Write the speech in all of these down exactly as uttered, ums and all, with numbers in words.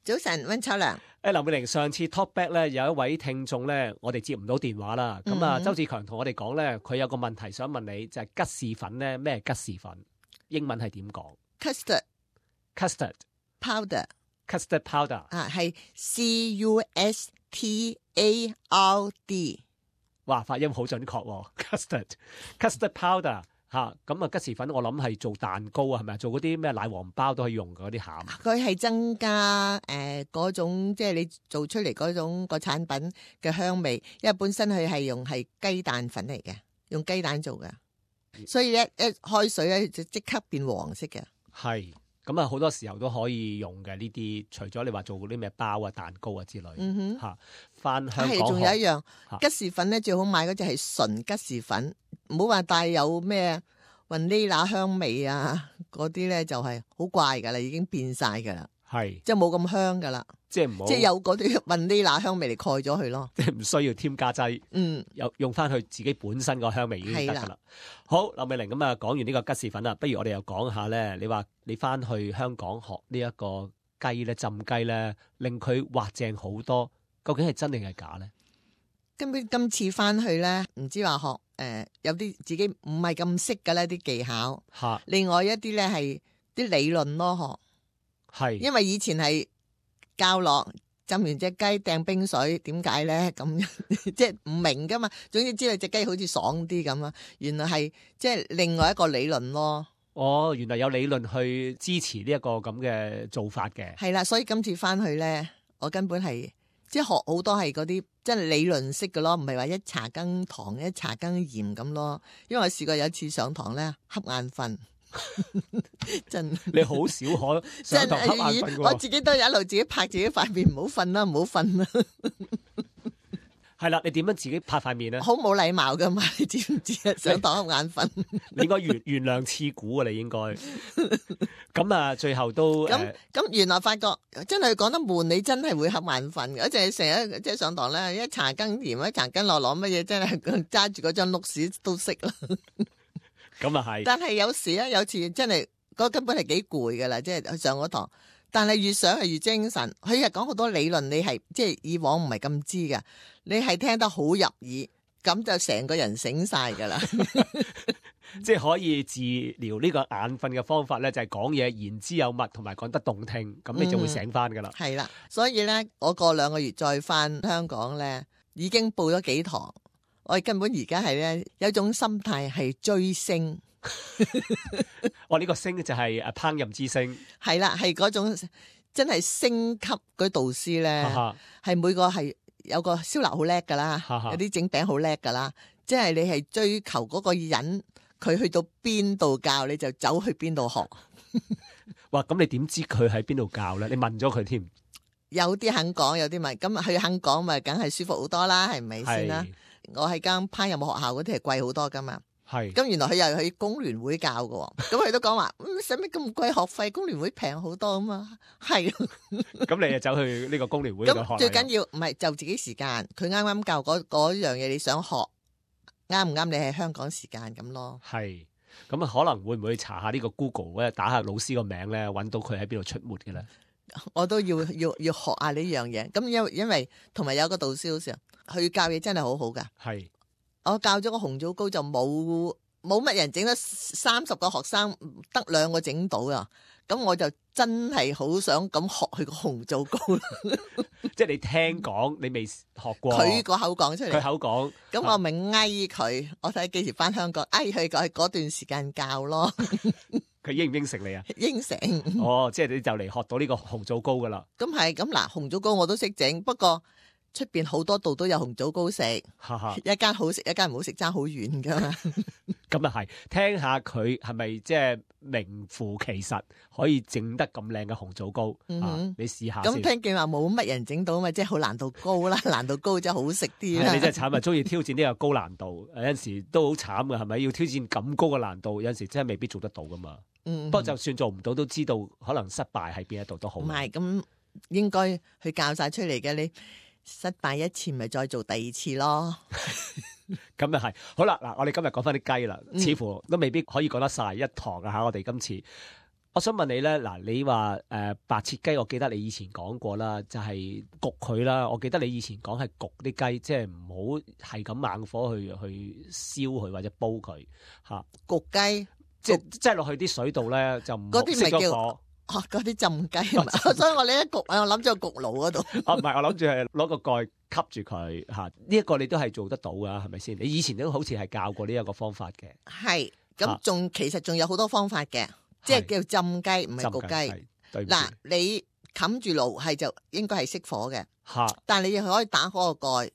早晨，溫秋良。誒，劉美玲，上次 talkback 咧有一位聽眾咧，我哋接唔到電話啦。咁啊、嗯，周志強同我哋講咧，佢有個問題想問你，就係、是、吉士粉咧，咩係吉士粉？英文係點講 ？Custard custard powder custard powder 啊，係 C U S T A R D。哇，發音好準確喎 ，custard custard powder。吓，咁啊吉士粉我諗係做蛋糕啊，係咪啊？做嗰啲咩奶黃包都可以用嗰啲餡。佢係增加誒嗰、呃、種即係你做出嚟嗰種個產品嘅香味，因為本身佢係用係雞蛋粉嚟嘅，用雞蛋做嘅，所以咧一開水咧就即刻變黃色嘅。係，咁啊好多時候都可以用嘅呢啲，除咗你話做嗰啲咩包啊、蛋糕啊之類。嗯哼，吓翻香港。係，仲有一樣吉士粉咧，最好買嗰隻係純吉士粉。唔好話帶有咩雲呢拿香味啊，嗰啲咧就係好怪噶啦，已經變晒噶啦，係即係冇咁香噶啦，即係唔好，即係有嗰啲雲呢拿香味嚟蓋咗佢咯，即係唔需要添加劑，嗯，有用翻佢自己本身個香味已經得噶啦。好，劉美玲，咁啊，講完呢個吉士粉啦，不如我哋又講下咧，你話你翻去香港學呢一個雞咧，浸雞咧，令佢滑正好多，究竟係真定係假咧？根本今次翻去咧，唔知話學誒、呃，有啲自己唔係咁識嘅咧啲技巧，吓，另外一啲咧係啲理論咯，學係，因為以前係教落浸完隻雞掟冰水，點解咧咁即係唔明噶嘛？總之知道隻雞好似爽啲咁啊，原來係即係另外一個理論咯。哦，原來有理論去支持呢一個咁嘅做法嘅。係啦，所以今次翻去咧，我根本係。即係學好多係嗰啲即係理論式嘅咯，唔係話一茶羹糖一茶羹鹽咁咯。因為我試過有一次上堂咧瞌眼瞓，真你好少可上堂瞌眼瞓嘅。我自己都有一路自己拍自己塊面，唔好瞓啦，唔好瞓啦。係啦，你點樣自己拍塊面咧？好冇禮貌噶嘛，你知唔知啊？上堂瞌眼瞓，你應該原原諒刺股啊！你應該咁啊，最後都咁咁，原來發覺真係講得悶，你真係會瞌眼瞓嘅。我淨係成日即係上堂咧，一茶羹鹽，一茶羹落落乜嘢，真係揸住嗰張碌屎都識啦。咁啊係，但係有時咧，有次真係嗰根本係幾攰噶啦，即係上嗰堂。但係越上係越精神，佢係講好多理論，你係即係以往唔係咁知噶，你係聽得好入耳，咁就成個人醒晒噶啦。即係可以治療呢個眼瞓嘅方法咧，就係講嘢言之有物，同埋講得動聽，咁你就會醒翻噶啦。係、嗯、啦，所以咧，我過兩個月再翻香港咧，已經報咗幾堂，我根本而家係咧有一種心態係追星。我呢、這個星就係誒烹飪之星，係啦，係嗰種真係星級嗰啲導師咧，係每個係有個燒臘好叻噶啦，有啲整餅好叻噶啦，即係你係追求嗰個人，佢去到邊度教你就走去邊度學。哇！咁你點知佢喺邊度教咧？你問咗佢添？有啲肯講，有啲咪咁佢肯講咪，梗係舒服好多啦，係咪先啦？我喺間烹飪學校嗰啲係貴好多噶嘛。係，咁原來佢又去工聯會教嘅，咁佢都講話，嗯，使乜咁貴學費？工聯會平好多啊嘛，係。咁你就走去呢個工聯會度學。咁最緊要唔係就自己時間，佢啱啱教嗰嗰樣嘢，你想學啱唔啱？你係香港時間咁咯。係，咁啊可能會唔會查下呢個 Google 咧，打下老師個名咧，搵到佢喺邊度出沒嘅咧？我都要要要學下呢樣嘢。咁因為因為同埋有個導師好似，佢教嘢真係好好噶。係。我教咗個紅棗糕就冇冇乜人整得三十個學生得兩個整到啊！咁我就真係好想咁學佢個紅棗糕。即係你聽講，你未學過。佢個口講出嚟。佢口講。咁我咪嗌佢，我睇幾時翻香港，嗌佢講嗰段時間教咯。佢應唔應承你啊？應承。哦，即係你就嚟學到呢個紅棗糕噶啦。咁係咁嗱，紅棗糕我都識整，不過。出邊好多度都有紅棗糕食，一間好食，一間唔好食，爭好遠噶嘛。咁啊係，聽下佢係咪即係名副其實可以整得咁靚嘅紅棗糕？嗯啊、你試下先。咁聽見話冇乜人整到嘛，即係好難度高啦，難度高真係好食啲啦。你真係慘啊！中意挑戰呢個高難度，有陣時都好慘噶，係咪？要挑戰咁高嘅難度，有陣時真係未必做得到噶嘛。嗯，不過就算做唔到，都知道可能失敗喺邊一度都好。唔係，咁應該去教晒出嚟嘅你。失敗一次咪再做第二次咯。咁又係好啦。嗱，我哋今日講翻啲雞啦，似乎都未必可以講得晒一堂啊吓。我哋今次我想問你咧，嗱，你話誒、呃、白切雞，我記得你以前講過啦，就係、是、焗佢啦。我記得你以前講係焗啲雞，即係唔好係咁猛火去去燒佢或者煲佢嚇。啊、焗雞，即係即係落去啲水度咧，就唔熄咗火。哦，嗰啲浸雞係嘛？所以我呢一焗，我諗咗個焗爐嗰度。哦，唔係，我諗住係攞個蓋吸住佢嚇。呢、這、一個你都係做得到噶，係咪先？你以前都好似係教過呢一個方法嘅。係，咁仲其實仲有好多方法嘅，即係叫浸雞，唔係焗雞。嗱，你冚住爐係就應該係熄火嘅。嚇！但係你可以打開個蓋，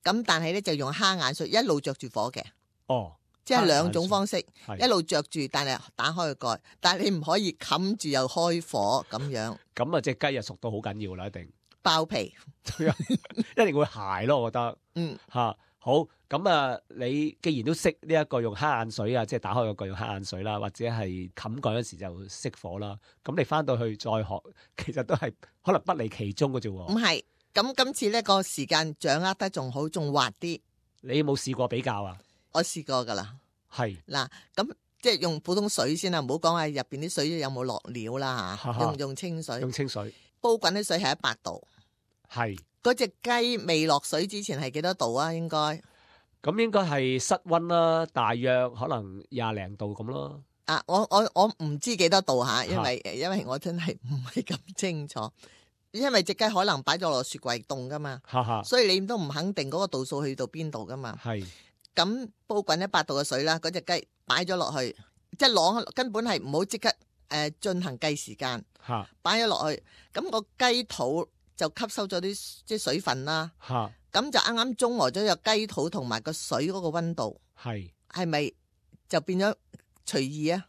咁但係咧就用蝦眼水一路着住火嘅。哦。即係兩種方式，一路着住，但係打開個蓋，但係你唔可以冚住又開火咁樣。咁啊，隻雞又熟到好緊要啦，一定爆皮，一定會鞋咯，我覺得。嗯，吓、啊、好，咁啊，你既然都識呢一個用蝦眼水啊，即係打開個蓋用蝦眼水啦，或者係冚蓋嗰時就熄火啦，咁你翻到去再學，其實都係可能不離其中嘅啫。唔係，咁今次呢個時間掌握得仲好，仲滑啲。你有冇試過比較啊？我試過噶啦，係嗱，咁即係用普通水先啦，唔好講話入邊啲水有冇落料啦吓，用用清水，用清水煲滾啲水係一百度，係嗰隻雞未落水之前係幾多度啊？應該咁應該係室溫啦，大約可能廿零度咁咯。啊，我我我唔知幾多度吓，因為因為我真係唔係咁清楚，因為隻雞可能擺咗落雪櫃凍噶嘛，所以你都唔肯定嗰個度數去到邊度噶嘛。係。咁煲滾一百度嘅水啦，嗰隻雞擺咗落去，即係晾，根本係唔好即刻誒進行計時間，擺咗落去，咁個雞肚就吸收咗啲即係水分啦，咁就啱啱中和咗個雞肚同埋個水嗰個溫度，係係咪就變咗隨意啊？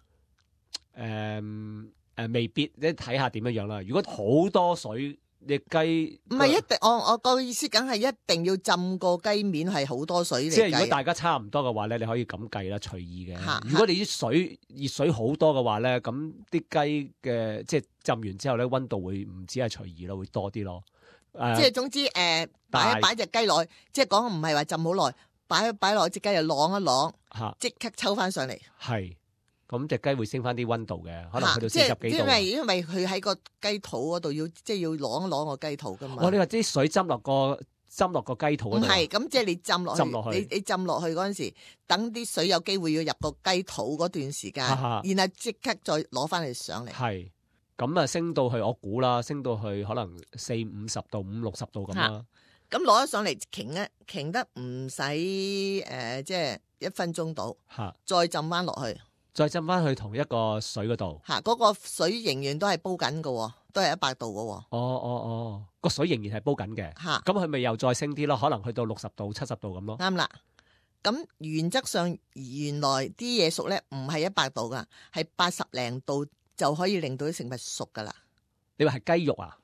誒誒、嗯呃，未必，你睇下點樣樣啦。如果好多水。隻雞唔係一定，我我個意思梗係一定要浸個雞面係好多水嚟。即係如果大家差唔多嘅話咧，你可以咁計啦，隨意嘅。哈如果你啲水熱水好多嘅話咧，咁啲雞嘅即係浸完之後咧，溫度會唔止係隨意咯，會多啲咯。誒，即係總之誒，擺一擺隻雞落去，即係講唔係話浸好耐，擺一擺落隻雞就晾一晾，即刻抽翻上嚟。係。咁隻雞會升翻啲溫度嘅，可能去到四十幾度。因為因為佢喺個雞肚嗰度要即係要攞一攞個雞肚噶嘛。我哋話啲水浸落個浸落個雞肚嗰度。唔係，咁即係你浸落去，去你你浸落去嗰陣時，等啲水有機會要入個雞肚嗰段時間，啊、然後即刻再攞翻嚟上嚟。係，咁啊升到去我估啦，升到去可能四五十度、五六十度咁啦。咁攞咗上嚟，擎一擎得唔使誒，即係一分鐘到，啊、再浸翻落去。再浸翻去同一個水嗰度，吓嗰、那個水仍然都係煲緊嘅，都係一百度嘅。哦哦哦，個水仍然係煲緊嘅。吓，咁佢咪又再升啲咯？可能去到六十度、七十度咁咯。啱啦。咁原則上原來啲嘢熟咧，唔係一百度噶，係八十零度就可以令到啲食物熟噶啦。你話係雞肉啊？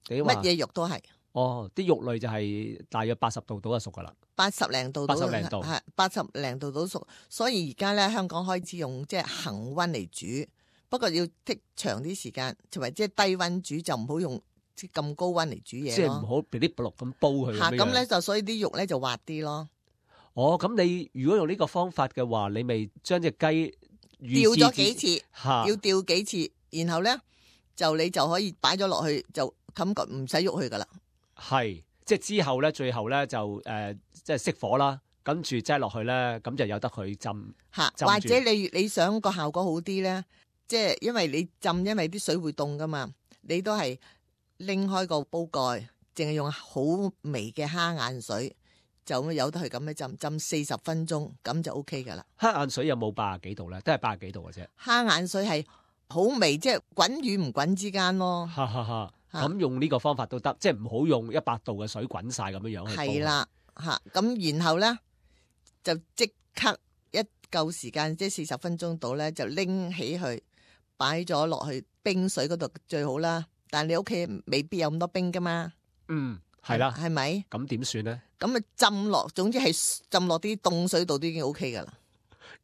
乜嘢肉都係。哦，啲肉類就係大約八十度到就熟噶啦。八十零度，八十零度係八十零度到熟，所以而家咧香港開始用即係恒溫嚟煮，不過要剔長啲時間，同埋即係低溫煮，就唔好用即係咁高溫嚟煮嘢。即係唔好噼哩啪啦咁煲佢。吓，咁咧就所以啲肉咧就滑啲咯。哦，咁你如果用呢個方法嘅話，你咪將隻雞吊咗幾次，哈要吊幾次，然後咧就你就可以擺咗落去，就感覺唔使喐佢噶啦。係，即係之後咧，最後咧就誒、呃，即係熄火啦，跟住擠落去咧，咁就有得佢浸吓，浸或者你你想個效果好啲咧，即係因為你浸，因為啲水會凍噶嘛，你都係拎開個煲蓋，淨係用好微嘅蝦眼水，就咁有得佢咁樣浸，浸四十分鐘，咁就 O K 噶啦。蝦眼水有冇八十幾度咧？都係八十幾度嘅啫。蝦眼水係好微，即係滾與唔滾之間咯。哈哈哈。咁用呢個方法都得，即係唔好用一百度嘅水滾晒咁樣樣去煲。係啦，吓咁然後咧就即刻一夠時間，即係四十分鐘到咧，就拎起去擺咗落去冰水嗰度最好啦。但係你屋企未必有咁多冰噶嘛。嗯，係啦，係咪？咁點算咧？咁啊浸落，總之係浸落啲凍水度都已經 O K 噶啦。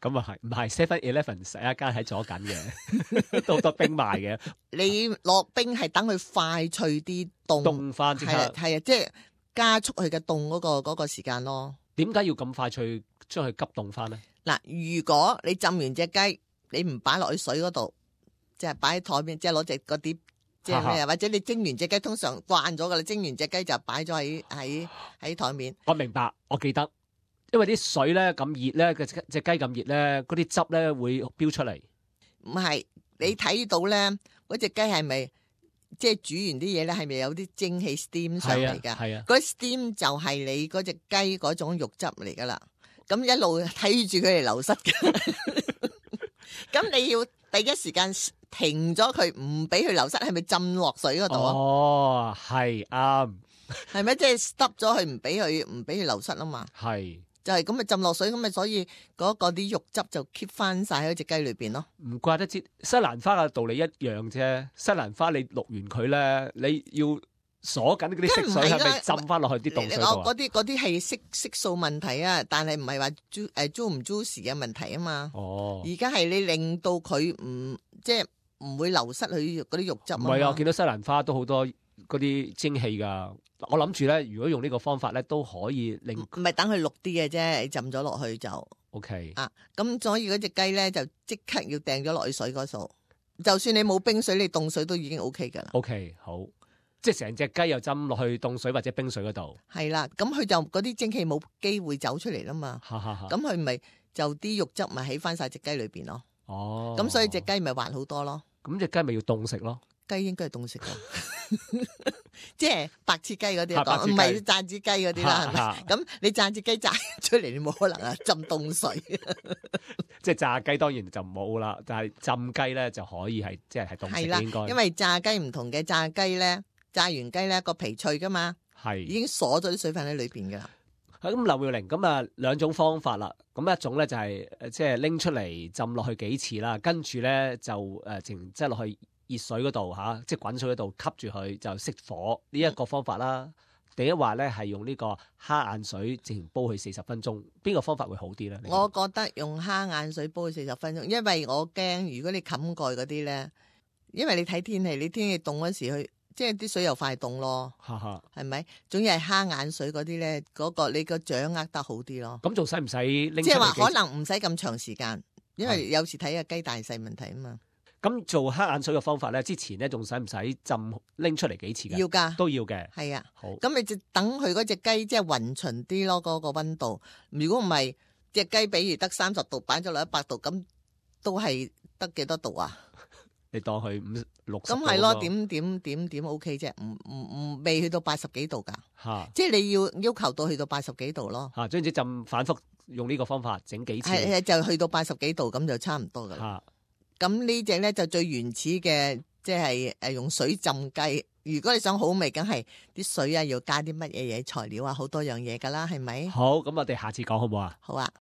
咁啊係，唔係 Seven Eleven 十一間喺左近嘅，都好多冰賣嘅。你落冰係等佢快脆啲凍，凍翻即刻係啊，即係加速佢嘅凍嗰個嗰個時間咯。點解要咁快脆將佢急凍翻咧？嗱，如果你浸完隻雞，你唔擺落去水嗰度，即係擺喺台面，即係攞隻個碟，即係咩？或者你蒸完隻雞，通常慣咗噶啦，蒸完隻雞就擺咗喺喺喺台面。我明白，我記得，因為啲水咧咁熱咧，隻隻雞咁熱咧，嗰啲汁咧會飆出嚟。唔係，你睇到咧，嗰隻雞係咪即係煮完啲嘢咧？係咪有啲蒸汽 steam 上嚟噶？係啊，嗰 steam 就係你嗰隻雞嗰種肉汁嚟噶啦。咁一路睇住佢嚟流失嘅，咁你要第一時間停咗佢，唔俾佢流失，係咪浸落水嗰度啊？哦，係啱，係咪即係 stop 咗佢，唔俾佢唔俾佢流失啊嘛？係，就係咁咪浸落水，咁咪所以嗰個啲肉汁就 keep 翻晒喺隻雞裏邊咯。唔怪得知西蘭花嘅道理一樣啫。西蘭花你淥完佢咧，你要鎖緊嗰啲色水，係咪浸翻落去啲凍水度啊？嗰啲嗰啲係色色素問題啊，但係唔係話 ju 誒 ju 唔 juicy 嘅問題啊嘛。哦，而家係你令到佢唔即係唔會流失佢嗰啲肉汁。唔係啊，我見到西蘭花都好多嗰啲蒸汽噶。我諗住咧，如果用呢個方法咧，都可以令唔係等佢綠啲嘅啫，浸咗落去就 OK 啊。咁所以嗰隻雞咧就即刻要掟咗落去水嗰度。就算你冇冰水，你凍水都已經 OK 噶啦。OK 好。即係成隻雞又浸落去凍水或者冰水嗰度，係啦，咁佢就嗰啲蒸汽冇機會走出嚟啦嘛，咁佢咪就啲肉汁咪喺翻晒隻雞裏邊咯。哦，咁所以隻雞咪滑好多咯。咁隻雞咪要凍食咯？雞應該係凍食噶，即係白切雞嗰啲講，唔係炸子雞嗰啲啦，係咪？咁你炸隻雞炸出嚟，你冇可能啊浸凍水。即係炸雞當然就冇啦，但係浸雞咧就可以係即係係凍食嘅應該。因為炸雞唔同嘅，炸雞咧。炸完雞咧個皮脆噶嘛，係已經鎖咗啲水分喺裏邊噶啦。咁劉妙玲咁啊兩種方法啦，咁一種咧就係即係拎出嚟浸落去幾次啦，跟住咧就誒淨即係落去熱水嗰度吓，即係滾水嗰度吸住佢就熄火呢一、這個方法啦。第一話咧係用呢個蝦眼水直情煲佢四十分鐘，邊個方法會好啲咧？我覺得用蝦眼水煲佢四十分鐘，因為我驚如果你冚蓋嗰啲咧，因為你睇天氣，你天氣凍嗰時去。即係啲水又快凍咯，係咪？總之係蝦眼水嗰啲咧，嗰、嗰個你個掌握得好啲咯。咁仲使唔使拎？即係話可能唔使咁長時間，因為有時睇下雞大細問題啊嘛。咁做蝦眼水嘅方法咧，之前咧仲使唔使浸拎出嚟幾次嘅？要噶，都要嘅。係啊，好。咁你就等佢嗰隻雞即係勻循啲咯，嗰、嗰個溫度。如果唔係隻雞，比如得三十度，擺咗落一百度，咁都係得幾多度啊？你當佢五六十，咁係咯，點點點點 O K 啫，唔唔唔未去到八十幾度噶，即係你要要求到去到八十幾度咯。吓，總之浸反覆用呢個方法整幾次，係就去到八十幾度咁就差唔多噶啦。咁呢隻咧就最原始嘅，即係誒用水浸雞。如果你想好味，梗係啲水啊要加啲乜嘢嘢材料啊，好多樣嘢噶啦，係咪？好，咁我哋下次講好唔好啊？好啊。